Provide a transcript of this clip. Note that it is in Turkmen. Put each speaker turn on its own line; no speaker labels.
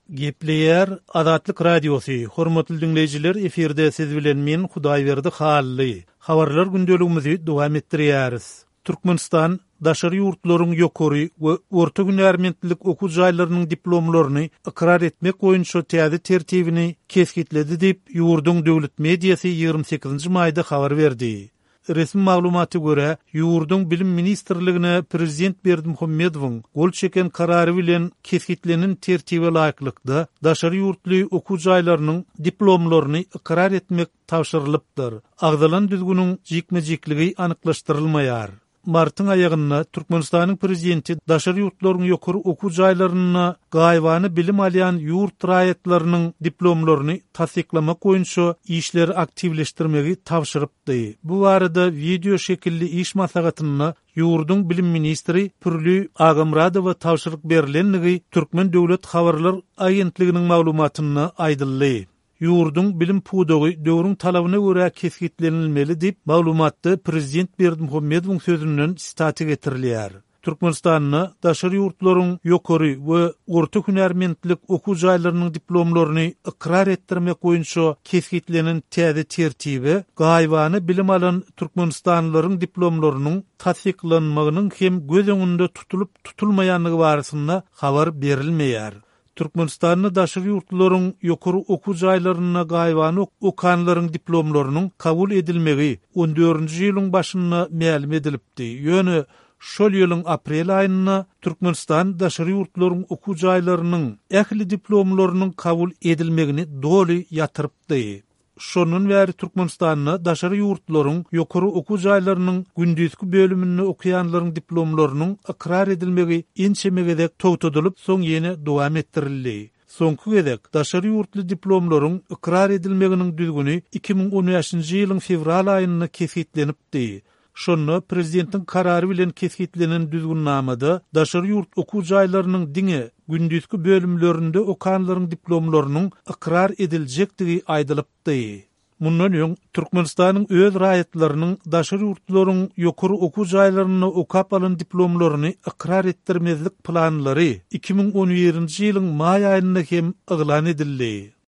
Gepleýär Azatlyk Radiosy, Hormatly diňleýjiler efirde siz bilen men Hudaýberdi Hally. Habarlar gündeligimizi dowam etdirýäris. Türkmenistan daşary ýurtlaryň ýokary we orta hünärmentlilik okuw jaýlarynyň diplomlaryny ykrar etmek boýunça täze tertibini kesgitledi diýip, ýurduň döwlet mediasy 28 maýda habar berdi. Resmi maglumata görä, ýurduň Bilim ministrligine prezident Berdimuhamedowyň gol çeken karary bilen kesgitlenen tertibe laýyklykda, daşary ýurtly okuw jaýlarynyň diplomlaryny ykrar etmek tabşyrylypdyr. Agzalan düzgüniň jikme-jikligi anyklaşdyrylmaýar. Martyň aýagynda Türkmenistanyň prezidenti daşary ýurtlaryň ýokary okuw jaýlarynda gaýybana bilim alýan ýurt raýatlarynyň diplomlaryny tassyklamak boýunça işleri aktiwleşdirmegi tabşyrypdy. Bu barada wideo şekilli iş maslahatynda ýurduň bilim ministri Pürli Agamyradowa tabşyryk berlendigi Türkmen döwlet habarlar agentliginiň maglumatynda aýdyldy. Ýurduň bilim pudagy döwrüň talabyna görä kesgitlenilmeli diýip, maglumatda prezident Berdimuhamedowyň sözünden sitata getirilýär. Türkmenistanda daşary ýurtlaryň ýokary we orta hünärmentlik okuw jaýlarynyň diplomlaryny ykrar etdirmek boýunça kesgitlenen täze tertibe gaýybana bilim alan türkmenistanlylaryň diplomlarynyň tassyklanmagynyň hem göz öňünde tutulyp-tutulmaýandygy barasynda habar berilmeýär. Türkmenistanda daşary ýurtlularyň ýokary okuw jaýlarynda gaýybana okanlaryň diplomlarynyň kabul edilmegi on dördünji ýylyň başynda mälim edilipdi. Ýöne şol ýylyň aprel aýynda Türkmenistan daşary ýurtlaryň okuw jaýlarynyň ähli diplomlarynyň kabul edilmegini doly ýatyrypdy. Şondan bäri Türkmenistanda daşary ýurtlaryň ýokary okuw jaýlarynyň gündizki bölüminde okaýanlaryň diplomlarynyň ykrar edilmegi ençeme gezek togtadylyp, soň ýene dowam etdirildi. Soňky gezek daşary ýurtly diplomlaryň ykrar edilmeginiň düzgüni 2015-nji ýylyň fewral aýynda kesgitlenipdi. Şonda prezidentiň karary bilen kesgitlenen düzgünnamada daşary ýurt okuw jaýlarynyň diňe gündizki bölümlerinde okanlaryň diplomlarynyň ykrar ediljekdigi aýdylypdy. Mundan öň, Türkmenistanyň öz raýatlarynyň daşary ýurtlaryň ýokary okuw jaýlarynda okap alan diplomlaryny ykrar etdirmezlik planlary 2011-nji ýylyň maý aýynda hem yglan edildi.